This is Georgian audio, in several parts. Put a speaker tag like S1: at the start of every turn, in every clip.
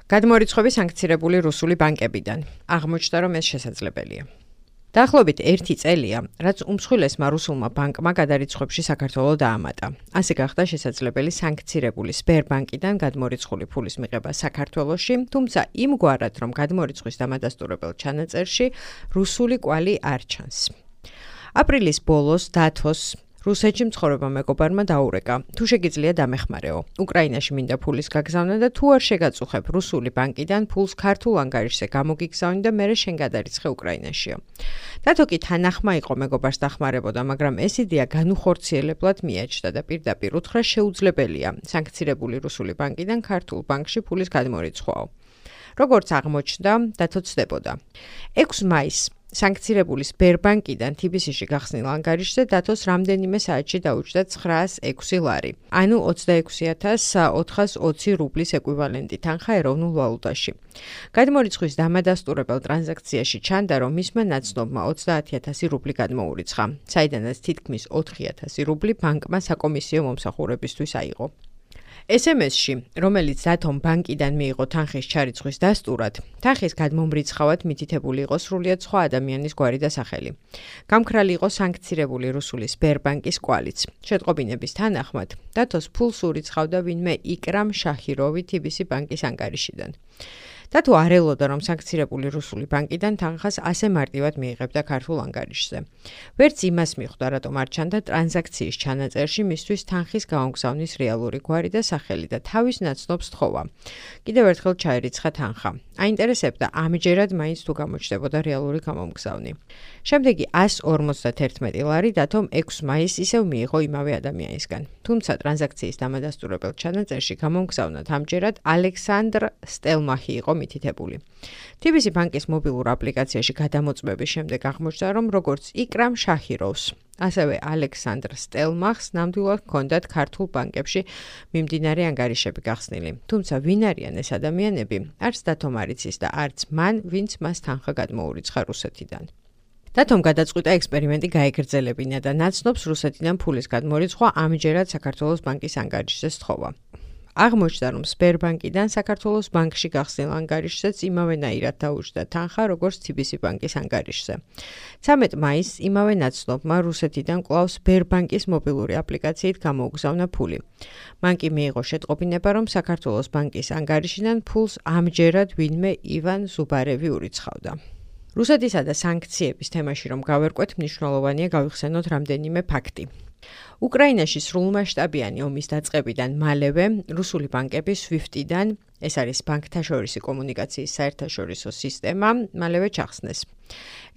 S1: გადმორიცხვები სანქცირებული რუსული ბანკებიდან. აღმოჩნდა, რომ ეს შესაძლებელია. დაახლოებით 1 წელია, რაც უმსხვილესმა რუსულმა ბანკმა გადარიცხვებში საქართველოს დაამატა. ასე გახდა შესაძლებელი სანქცირებული სბერბანკიდან გადმორიცხული ფულის მიღება საქართველოში, თუმცა იმგვარად, რომ გადმორიცხვის დამადასტურებელ ჩანაწერში რუსული კვალი არ ჩანს. აპრილის ბოლოს დათოს რუსეთში მცხოვრებმა მეგობარმა დაურეკა, თუ შეგიძლია დამეხმარეო. უკრაინაში მინდა ფულის გაგზავნა და თუ არ შეგაწუხებ რუსული ბანკიდან ფულს ქართულ ანგარიშზე გამოგიგზავნი და მერე შენ გადარიცხე უკრაინაშიო. დათო კი თანახმა იყო მეგობარს დახმარებოდა, მაგრამ ეს იდეა განუხორციელებლად მიაჩნდა და პირდაპირ უთხრა შეუძლებელია სანქცირებული რუსული ბანკიდან ქართულ ბანკში ფულის გადმორიცხვაო. როგორც აღმოჩნდა, დათო ცდებოდა. 6 მაისს სანქცირებული სბერბანკიდან TBC-ში გახსნილ ანგარიშზე დათოს რამდენიმე საათში დაუჭდა 906 ლარი, ანუ 26,420 რუბლის ეკვივალენტი თანხა ეროვნულ ვალუტაში. გადმორიცხვის დამადასტურებელ ტრანზაქციაში ჩანდა, რომ მისმა ნაცნობმა 30,000 რუბლი გადმოურიცხა, საიდანაც თითქმის 4,000 რუბლი ბანკმა საკომისიო მომსახურებისთვის აიღო. SMS-ში, რომელიც დათომ ბანკიდან მიიღო თანხის ჩარიცხვის დასტურად, თანხის გადმომრიცხავად მითითებული იყო სრულიად სხვა ადამიანის გვარი და სახელი. გამქრალი იყო სანქცირებული რუსული სბერბანკის კვალიც. შეტყობინების თანახმად, დათოს ფულს ურიცხავდა ვინმე იკრამ შაჰიროვი TBC ბანკის ანგარიშიდან. დათო არ ელოდა, რომ სანქცირებული რუსული ბანკიდან თანხას ასე მარტივად მიიღებდა ქართულ ანგარიშზე. ვერც იმას მიხვდა, რატომ არ ჩანდა ტრანზაქციის ჩანაწერში მისთვის თანხის გამოგზავნის რეალური გვარი და სახელი და თავის ნაცნობს თხოვა. კიდევ ერთხელ ჩაერიცხა თანხა. აინტერესებდა, ამჯერად მაინც თუ გამოჩნდებოდა რეალური გამომგზავნი. შემდეგი 151 ლარი დათომ 6 მაისს ისევ მიიღო იმავე ადამიანისგან. თუმცა ტრანზაქციის დამადასტურებელ ჩანაწერში გამომგზავნად ამჯერად ალექსანდრ სტელმახი იყო მითითებული. TBC ბანკის მობილურ აპლიკაციაში გადამოწმების შემდეგ აღმოჩნდა, რომ როგორც იკრამ შაჰიროვს, ასევე ალექსანდრ სტელმახს ნამდვილად ჰქონდათ ქართულ ბანკებში მიმდინარე ანგარიშები გახსნილი. თუმცა ვინ არიან ეს ადამიანები, არც დათომ არ იცის და არც მან, ვინც მას თანხა გადმოურიცხა რუსეთიდან. დათომ გადაწყვიტა ექსპერიმენტი გაეგრძელებინა და ნაცნობს რუსეთიდან ფულის გადმორიცხვა ამჯერად საქართველოს ბანკის ანგარიშზე სთხოვა. აღმოჩნდა, რომ სბერბანკიდან საქართველოს ბანკში გახსნილ ანგარიშზეც იმავენაირად დაუჭდა თანხა, როგორც TBC ბანკის ანგარიშზე. 13 მაისს იმავე ნაცნობმა რუსეთიდან კვლავ სბერბანკის მობილური აპლიკაციით გამოუგზავნა ფული. მან კი მიიღო შეტყობინება, რომ საქართველოს ბანკის ანგარიშიდან ფულს ამჯერად ვინმე ივან ზუბარევი ურიცხავდა. რუსეთისა და სანქციების თემაში რომ გავერკვეთ, მნიშვნელოვანია გავიხსენოთ რამდენიმე ფაქტი. უკრაინაში სრულმასშტაბიანი ომის დაწყებიდან მალევე რუსული ბანკები SWIFT-დან, ეს არის ბანკთაშორისი კომუნიკაციის საერთაშორისო სისტემა, მალევე ჩახსნეს.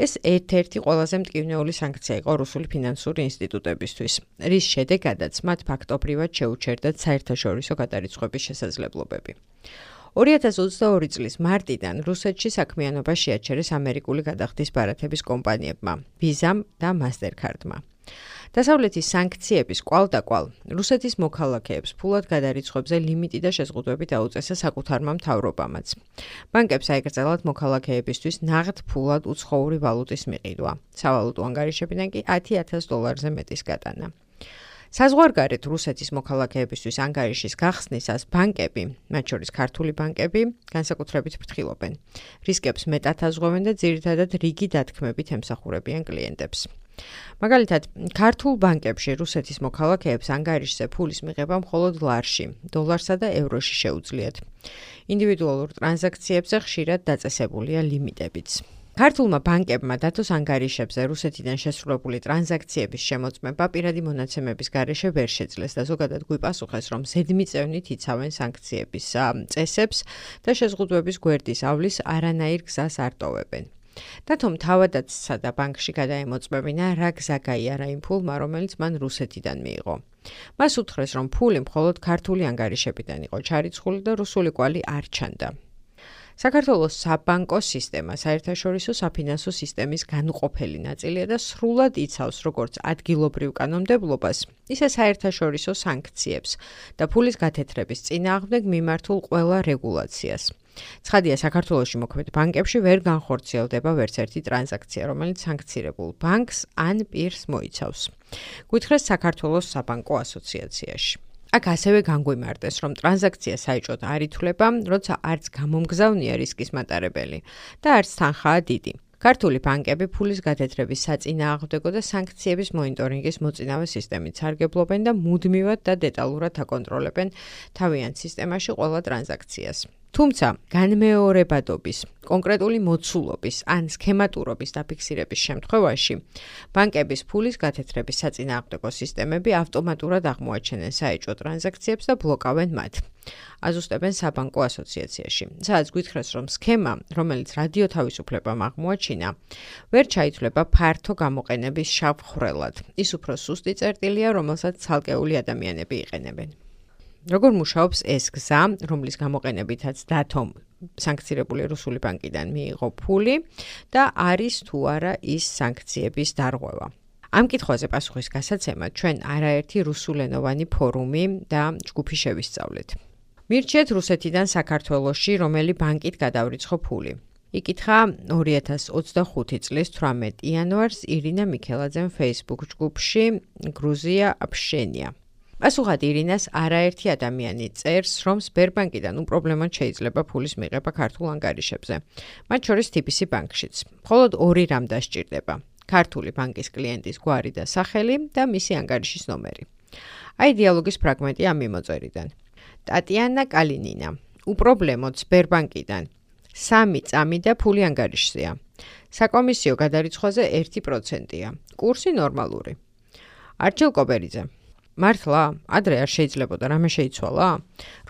S1: ეს ერთ-ერთი ყველაზე მტკივნეული სანქცია იყო რუსული ფინანსური ინსტიტუტებისთვის, რის შედეგადაც მათ ფაქტობრივად შეუჩერდათ საერთაშორისო გადარიცხვების შესაძლებლობები. 2022 წლის მარტიდან რუსეთში საქმიანობა შეაჩერეს ამერიკული გადახდის ბარათების კომპანიებმა, Visa და Mastercard-მა. დასავლეთის სანქციების კვალდაკვალ რუსეთის მოქალაქეებს ფულად გადარიცხვებზე ლიმიტი და შეზღუდვები დაუწესა საკუთარმა მთავრობამაც. ბანკებს აეკრძალათ მოქალაქეებისთვის ნაღდ ფულად უცხოური ვალუტის მიყიდვა, სავალუტო ანგარიშებიდან კი $10,000-ზე მეტის გატანა. საზღვარგარეთ რუსეთის მოქალაქეებისთვის ანგარიშის გახსნისას ბანკები, მათ შორის ქართული ბანკები, განსაკუთრებით ფრთხილობენ. რისკებს მეტად აზღვევენ და ძირითადად რიგი დათქმებით ემსახურებიან კლიენტებს. მაგალითად, ქართულ ბანკებში რუსეთის მოქალაქეებს ანგარიშზე ფულის მიღება მხოლოდ ლარში, დოლარსა და ევროში შეუძლიათ. ინდივიდუალურ ტრანზაქციებზე ხშირად დაწესებულია ლიმიტებიც. ქართულმა ბანკებმა დათოს ანგარიშებზე რუსეთიდან შესრულებული ტრანზაქციების შემოწმება პირადი მონაცემების გარეშე ვერ შეძლეს და ზოგადად გვიპასუხეს, რომ ზედმიწევნით იცავენ სანქციების წესებს და შეზღუდვების გვერდის ავლის არანაირ გზას არ ტოვებენ. დათომ თავადაცსა და ბანკში გადაემოწმებინა რა გზა გაიარა იმ ფულმა, რომელიც მან რუსეთიდან მიიღო. მას უთხრეს, რომ ფული მხოლოდ ქართული ანგარიშებიდან იყო ჩარიცხული და რუსული კვალი არ ჩანდა. საქართველოს საბანკო სისტემა საერთაშორისო საფინანსო სისტემის განუყოფელი ნაწილია და სრულად იცავს როგორც ადგილობრივ კანონმდებლობას, ისე საერთაშორისო სანქციებს და ფულის გათეთრების წინააღმდეგ მიმართულ ყველა რეგულაციას. ცხადია, საქართველოში მოქმედ ბანკებში ვერ განხორციელდება ვერც ერთი ტრანზაქცია, რომელიც სანქცირებულ ბანკს ან პირს მოიცავს. გითხრეს საქართველოს საბანკო ასოციაციაში. აქ ასევე განგვიმარტეს, რომ ტრანზაქცია საეჭვოდ არ ითვლება, როცა არც გამომგზავნია რისკის მატარებელი და არც თანხაა დიდი. ქართული ბანკები ფულის გადათრების საწინააღმდეგო და სანქციების მონიტორინგის მოწინავე სისტემით სარგებლობენ და მუდმივად და დეტალურად აკონტროლებენ თავიანთ სისტემაში ყველა ტრანზაქციას. თუმცა, განმეორებადობის, კონკრეტული მოცულობის ან სქემატურობის დაფიქსირების შემთხვევაში, ბანკების ფულის გადათრების საწინააღმდეგო სისტემები ავტომატურად აღმოაჩენენ საეჭვო ტრანზაქციებს და ბლოკავენ მათ. აზუსტებენ საბანკო ასოციაციაში. სადაც გითხრას, რომ სქემა, რომელიც რადიო თავისუფლებამ აღმოაჩინა, ვერ ჩაითვლება ფართო გამოყენების შავ ხვრელად. ის უფრო სუსტი წერტილია, რომელსაც ცალკეული ადამიანები იყენებენ. როგორ მუშაობს ეს გზა, რომლის გამოყენებითაც დათომ სანქცირებული რუსული ბანკიდან მიიღო ფული და არის თუ არა ის სანქციების დარღვევა. ამ კითხვაზე პასუხის გასაცემად ჩვენ არაერთი რუსულენოვანი ფორუმი და ჯგუფი შევისწავლეთ. მირჩიეთ რუსეთიდან საქართველოში, რომელი ბანკით გადავრიცხო ფული. იკითხა 2025 წლის 18 იანვარს ირინა მიქელაძემ Facebook ჯგუფში გრუზია აფშენია. პასუხად ირინას არაერთი ადამიანი წერს, რომ სბერბანკიდან უპრობლემოდ შეიძლება ფულის მიღება ქართულ ანგარიშებზე, მათ შორის TBC ბანკშიც. მხოლოდ 2 რამ დასჭირდება: ქართული ბანკის კლიენტის გვარი და სახელი და მისი ანგარიშის ნომერი. აი დიალოგის ფრაგმენტი ამ მიმოწერიდან. ტატიანა კალინინა. უპრობლემოდ სბერბანკიდან 3 წამი და ფული ანგარიშზეა. საკომისიო გადარიცხვაზე 1%-ია. კურსი ნორმალური. არჩილ კობერიძე. მართლა, ადრე არ შეიძლებოდა რამე შეიცვალა?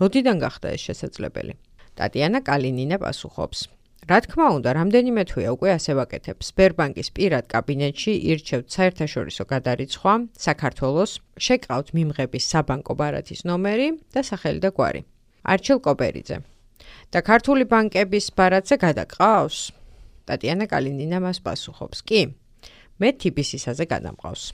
S1: როდიდან გახდა ეს შესაძლებელი? ტატიანა კალინინა პასუხობს. რა თქმა უნდა, რამდენიმე თვეა უკვე ასე ვაკეთებ. სბერბანკის პირად კაბინეტში ირჩევთ საერთაშორისო გადარიცხვა, საქართველოს, შეკავთ მიმღების საბანკო ბარათის ნომერი და სახელი და გვარი. არჩილ კობერიძე. და ქართული ბანკების ბარათზე გადაყავს? ტატიანა კალინინა მას პასუხობს. კი, მე TBC-საზე გადამყავს.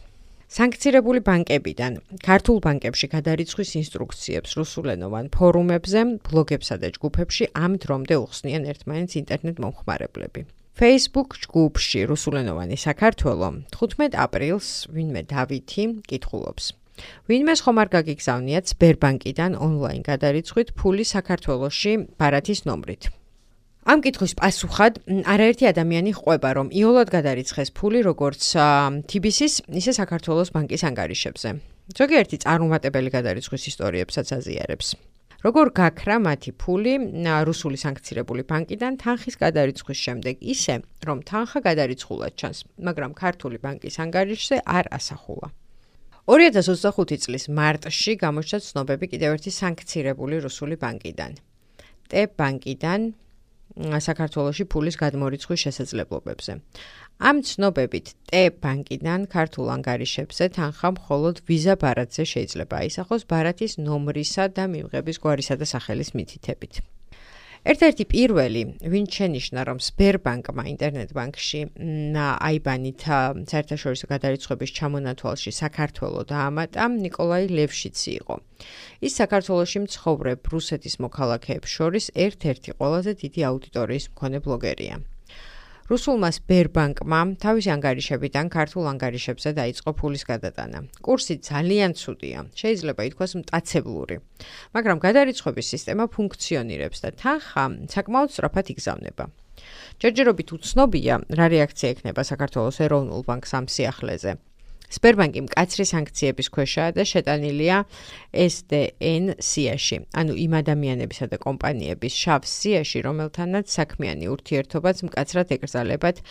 S1: სანქცირებული ბანკებიდან ქართულ ბანკებში გადარიცხვის ინსტრუქციებს რუსულენოვან ფორუმებზე, ბლოგებსა და ჯგუფებში ამ დრომდე უხსნიან ერთმანეთს ინტერნეტ მომხმარებლები. Facebook ჯგუფში რუსულენოვანი საქართველო 15 აპრილს ვინმე დავითი კითხულობს. ვინმეს ხომ არ გაგიგზავნიათ სბერბანკიდან ონლაინ გადარიცხვით ფული საქართველოში ბარათის ნომრით. ამ კითხვის პასუხად არაერთი ადამიანი ყვება, რომ იოლად გადარიცხეს ფული როგორც TBC-ის, ისე საქართველოს ბანკის ანგარიშებზე. ზოგიერთი წარუმატებელი გადარიცხვის ისტორიებსაც აზიარებს. როგორ გაქრა მათი ფული რუსული სანქცირებული ბანკიდან თანხის გადარიცხვის შემდეგ ისე, რომ თანხა გადარიცხულად ჩანს, მაგრამ ქართული ბანკის ანგარიშზე არ ასახულა. 2025 წლის მარტში გამოჩნდა ცნობები კიდევ ერთი სანქცირებული რუსული ბანკიდან. TEB ბანკიდან საქართველოში ფულის გადმორიცხვის შესაძლებლობებზე. ამ ცნობებით TEB ბანკიდან ქართულ ანგარიშებზე თანხა მხოლოდ ვიზა ბარათზე შეიძლება აისახოს ბარათის ნომრისა და მიმღების გვარისა და სახელის მითითებით. ერთ-ერთი პირველი, ვინც შენიშნა, რომ სბერბანკმა ინტერნეტ ბანკში აიბანით საერთაშორისო გადარიცხვების ჩამონათვალში საქართველო დაამატა, ნიკოლაი ლევშიცი იყო. ის საქართველოში მცხოვრებ რუსეთის მოქალაქეებს შორის ერთ-ერთი ყველაზე დიდი აუდიტორიის მქონე ბლოგერია. რუსულმა სბერბანკმა თავისი ანგარიშებიდან ქართულ ანგარიშებზე დაიწყო ფულის გადატანა. კურსი ძალიან ცუდია, შეიძლება ითქვას მტაცებლური, მაგრამ გადარიცხვების სისტემა ფუნქციონირებს და თანხა საკმაოდ სწრაფად იგზავნება. ჯერჯერობით უცნობია, რა რეაქცია ექნება საქართველოს ეროვნულ ბანკს ამ სიახლეზე. სბერბანკი მკაცრი სანქციების ქვეშაა და შეტანილია SDN სიაში, ანუ იმ ადამიანებისა და კომპანიების შავ სიაში, რომელთანაც საქმიანი ურთიერთობაც მკაცრად ეკრძალებათ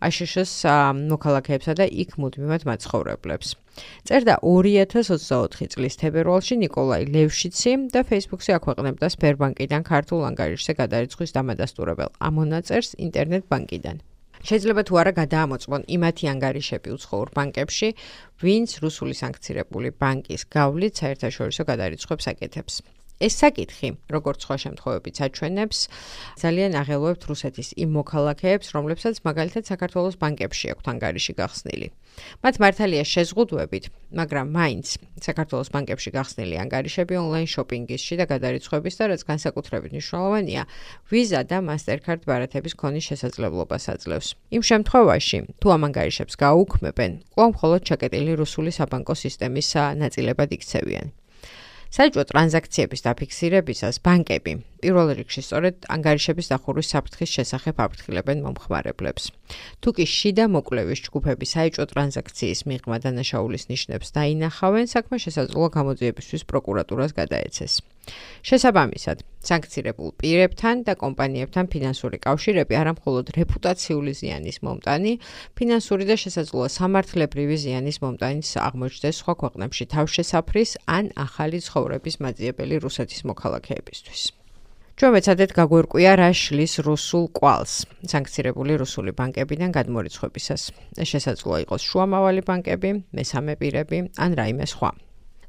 S1: აშშ-ს მოქალაქეებსა და იქ მუდმივად მაცხოვრებლებს. წერდა 2024 წლის თებერვალში ნიკოლაი ლევშიცი და Facebook-ზე აქვეყნებდა სბერბანკიდან ქართულ ანგარიშზე გადარიცხვის დამადასტურებელ ამონაწერს ინტერნეტ ბანკიდან. შეიძლება თუ არა გადაამოწმონ იმათი ანგარიშები უცხოურ ბანკებში, ვინც რუსული სანქცირებული ბანკის გავლით საერთაშორისო გადარიცხვებს აკეთებს. ეს საკითხი, როგორც სხვა შემთხვევებით აჩვენებს, ძალიან აღელვებთ რუსეთის იმ მოქალაქეებს, რომლებსაც მაგალითად საქართველოს ბანკებში აქვთ ანგარიში გახსნილი. მათ მართალია შეზღუდვებით, მაგრამ მაინც საქართველოს ბანკებში გახსნილი ანგარიშები ონლაინ შოპინგისში და გადარიცხვების და რაც განსაკუთრებით მნიშვნელოვანია, ვიზა და მასტერკარდ ბარათების ქონის შესაძლებლობას აძლევს. იმ შემთხვევაში, თუ ამ ანგარიშებს გააუქმებენ, კვლავ მხოლოდ ჩაკეტილი რუსული საბანკო სისტემის ნაწილებად იქცევიან. საჯო ტრანზაქციების დაფიქსირებისას ბანკები პირველ რიგში სწორედ ანგარიშების დახურვის საფრთხის შესახებ აფრთხილებენ მომხმარებლებს. თუ კი შიდა მოკვლევის ჯგუფები საჯო ტრანზაქციის მიღმა დანაშაულის ნიშნებს დაინახავენ, საქმე შესაძლოა გამოძიებისთვის პროკურატურას გადაეცეს. შესაბამისად, სანქცირებულ პირებთან და კომპანიებთან ფინანსური კავშირები არა მხოლოდ რეპუტაციული ზიანის მომტანი, ფინანსური და შესაძლოა სამართლებრივი ზიანის მომტანიც აღმოჩნდეს სხვა ქვეყნებში თავშესაფრის ან ახალი ცხოვრების მაძიებელი რუსეთის მოქალაქეებისთვის. ჩვენ მეცადეთ გაგვერკვია რა შლის რუსულ კვალს სანქცირებული რუსული ბანკებიდან გადმორიცხვებისას. ეს შესაძლოა იყოს შუამავალი ბანკები, მესამე პირები ან რაიმე სხვა.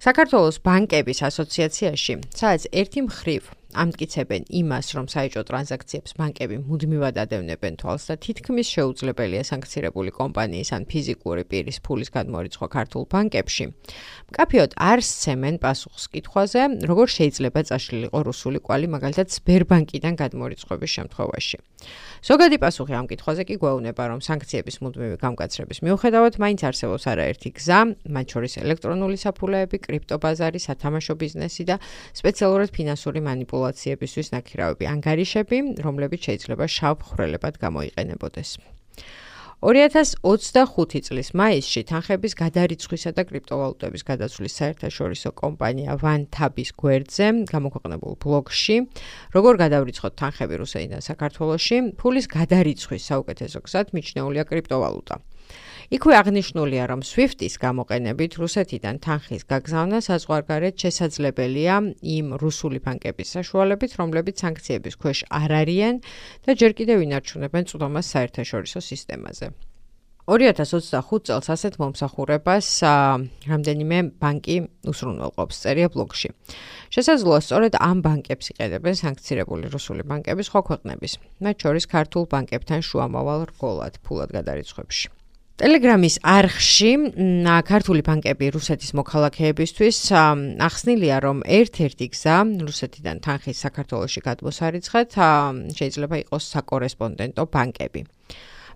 S1: საქართველოს ბანკების ასოციაციაში, სადაც ერთი მხრივ ამტკიცებენ იმას, რომ საეჭვო ტრანზაქციებს ბანკები მუდმივად ადევნებენ თვალს და თითქმის შეუძლებელია სანქცირებული კომპანიის ან ფიზიკური პირის ფულის გადმორიცხვა ქართულ ბანკებში, მკაფიოდ არ სცემენ პასუხს კითხვაზე, როგორ შეიძლება წაშლილიყო რუსული კვალი მაგალითად სბერბანკიდან გადმორიცხვების შემთხვევაში. ზოგადი პასუხი ამ კითხვაზე კი გვეუბნება, რომ სანქციების მუდმივი გამკაცრების მიუხედავად მაინც არსებობს არაერთი გზა, მათ შორის ელექტრონული საფულეები, კრიპტობაზარი, სათამაშო ბიზნესი და სპეციალურად ფინანსური მანიპულაციებისთვის ნაქირავები ანგარიშები, რომლებიც შეიძლება შავ ხვრელებად გამოიყენებოდეს. 2025 წლის მაისში თანხების გადარიცხვისა და კრიპტოვალუტების გადაცვლის საერთაშორისო კომპანია ვანთაბის გვერდზე გამოქვეყნებულ ბლოგში, როგორ გადავრიცხოთ თანხები რუსეთიდან საქართველოში, ფულის გადარიცხვის საუკეთესო გზად მიჩნეულია კრიპტოვალუტა. იქვე აღნიშნულია, რომ SWIFT-ის გამოყენებით რუსეთიდან თანხის გაგზავნა საზღვარგარეთ შესაძლებელია იმ რუსული ბანკების საშუალებით, რომლებიც სანქციების ქვეშ არ არიან და ჯერ კიდევ ინარჩუნებენ წვდომას საერთაშორისო სისტემაზე. 2025 წელს ასეთ მომსახურებას რამდენიმე ბანკი უსრულმელყოფს, წერია ბლოგში. შესაძლოა სწორედ ამ ბანკებს იყენებენ სანქცირებული რუსული ბანკები სხვა ქვეყნების, მათ შორის ქართულ ბანკებთან შუამავალ რგოლად ფულად გადარიცხვებში. Telegram-ის არხში ქართული ბანკები რუსეთის მოქალაქეებისთვის ახსნილია, რომ ერთ-ერთი გზა რუსეთიდან თანხის საქართველოში გადმოსარიცხად შეიძლება იყოს საკორესპონდენტო ბანკები.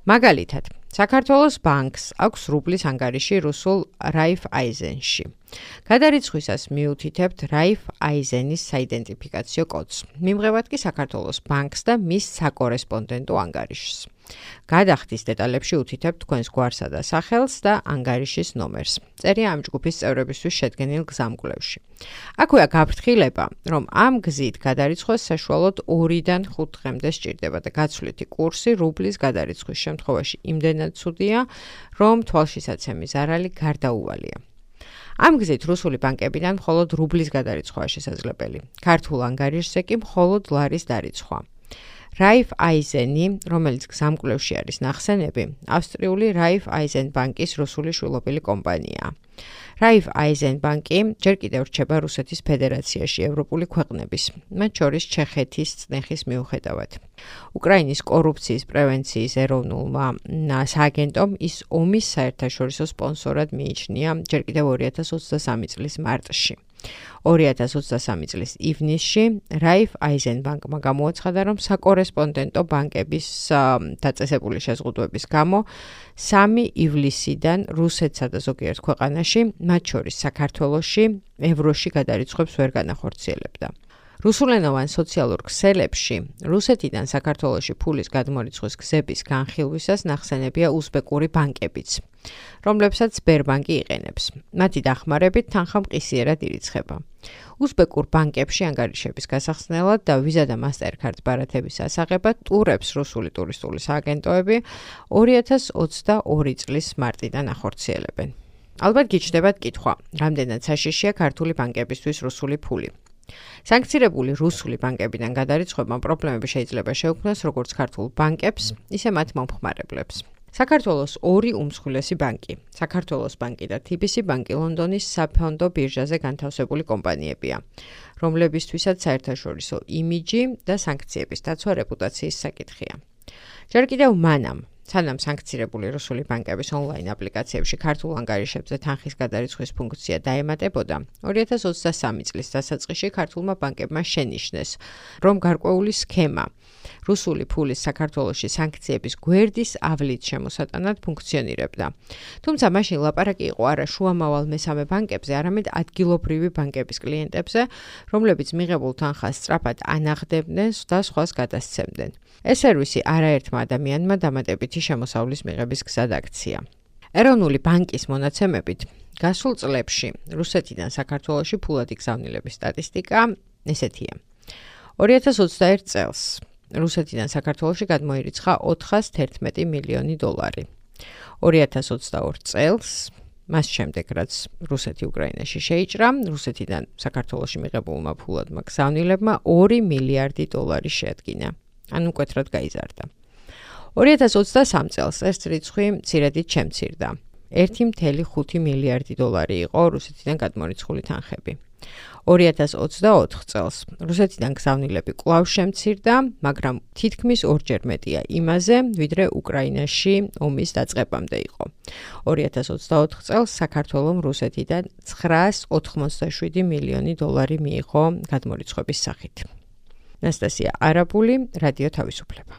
S1: მაგალითად, საქართველოს ბანკს აქვს რუბლის ანგარიში რუსულ Raiffeisenში. გადარიცხვისას მიუთითებთ Raiffeisenis საიდენტიფიკაციო კოდს. მიმღებად კი საქართველოს ბანკს და მის საკორესპონდენტო ანგარიშს. გადახდის დეტალებში უთითებთ თქვენს გვარსა და სახელს და ანგარიშის ნომერს. წერია ამ ჯგუფის წევრებისთვის შედგენილ გზამკვლევში. აქვეა გაფრთხილება, რომ ამ გზით გადარიცხვას საშუალოდ 2-დან 5 დღემდე სჭირდება და გაცვლითი კურსი რუბლის გადარიცხვის შემთხვევაში იმდენად ცუდია, რომ თვალშისაცემი ზარალი გარდაუვალია. ამ გზით რუსული ბანკებიდან მხოლოდ რუბლის გადარიცხვაა შესაძლებელი. ქართულ ანგარიშზე კი მხოლოდ ლარის დარიცხვა. Raiffeiseni, რომელიც გზამკვლევში არის ნახსენები, ავსტრიული Raiffeisen ბანკის რუსული შვილობილი კომპანიაა. Raiffeisen ბანკი ჯერ კიდევ რჩება რუსეთის ფედერაციაში ევროპული ქვეყნების, მათ შორის ჩეხეთის წნეხის მიუხედავად. უკრაინის კორუფციის პრევენციის ეროვნულმა სააგენტომ ის ომის საერთაშორისო სპონსორად მიიჩნია ჯერ კიდევ 2023 წლის მარტში. 2023 წლის ივნისში Raiffeisen ბანკმა გამოაცხადა, რომ საკორესპონდენტო ბანკების დაწესებული შეზღუდვების გამო 3 ივლისიდან რუსეთსა და ზოგიერთ ქვეყანაში, მათ შორის საქართველოში, ევროში გადარიცხვებს ვერ განახორციელებდა. რუსულენოვან სოციალურ ქსელებში რუსეთიდან საქართველოში ფულის გადმორიცხვის გზების განხილვისას ნახსენებია უზბეკური ბანკებიც, რომლებსაც სბერბანკი იყენებს. მათი დახმარებით თანხა მყისიერად ირიცხება. უზბეკურ ბანკებში ანგარიშების გასახსნელად და ვიზა და მასტერკარდ ბარათების ასაღებად ტურებს რუსული ტურისტული სააგენტოები 2022 წლის მარტიდან ახორციელებენ. ალბათ გიჩნდებათ კითხვა, რამდენად საშიშია ქართული ბანკებისთვის რუსული ფული. სანქცირებული რუსული ბანკებიდან გადარიცხვებამ პრობლემები შეიძლება შეუქმნას როგორც ქართულ ბანკებს, ისე მათ მომხმარებლებს. საქართველოს 2 უმსხვილესი ბანკი, საქართველოს ბანკი და TBC ბანკი ლონდონის საფონდო ბირჟაზე განთავსებული კომპანიებია, რომლებისთვისაც საერთაშორისო იმიჯი და სანქციების დაცვა რეპუტაციის საკითხია. ჯერ კიდევ მანამ, სანამ სანქცირებული რუსული ბანკების ონლაინ აპლიკაციებში ქართულ ანგარიშებზე თანხის გადარიცხვის ფუნქცია დაემატებოდა, 2023 წლის დასაწყისში ქართულმა ბანკებმა შენიშნეს, რომ გარკვეული სქემა რუსული ფულის საქართველოში სანქციების გვერდის ავლით შემოსატანად ფუნქციონირებდა. თუმცა მაშინ ლაპარაკი იყო არა შუამავალ მესამე ბანკებზე, არამედ ადგილობრივი ბანკების კლიენტებზე, რომლებიც მიღებულ თანხას სწრაფად ანახდებდნენ და სხვას გადასცემდნენ. ეს სერვისი არაერთმა ადამიანმა დამატებითი შემოსავლის მიღების გზად აქცია. ეროვნული ბანკის მონაცემებით, გასულ წლებში რუსეთიდან საქართველოში ფულადი გზავნილების სტატისტიკა ესეთია. 2021 წელს რუსეთიდან საქართველოში გადმოირიცხა 411 მილიონი დოლარი. 2022 წელს, მას შემდეგ რაც რუსეთი უკრაინაში შეიჭრა, რუსეთიდან საქართველოში მიღებულმა ფულადმა გზავნილებმა 2 მილიარდი დოლარი შეადგინა. ანუ მკვეთრად გაიზარდა. 2023 წელს ეს რიცხვი მცირედით შემცირდა. 1,5 მილიარდი დოლარი იყო რუსეთიდან გადმორიცხული თანხები. 2024 წელს რუსეთიდან გზავნილები კვლავ შემცირდა, მაგრამ თითქმის ორჯერ მეტია იმაზე, ვიდრე უკრაინაში ომის დაწყებამდე იყო. 2024 წელს საქართველომ რუსეთიდან 987 მილიონი დოლარი მიიღო გადმორიცხვების სახით. ნასტასია არაბული, რადიო თავისუფლება.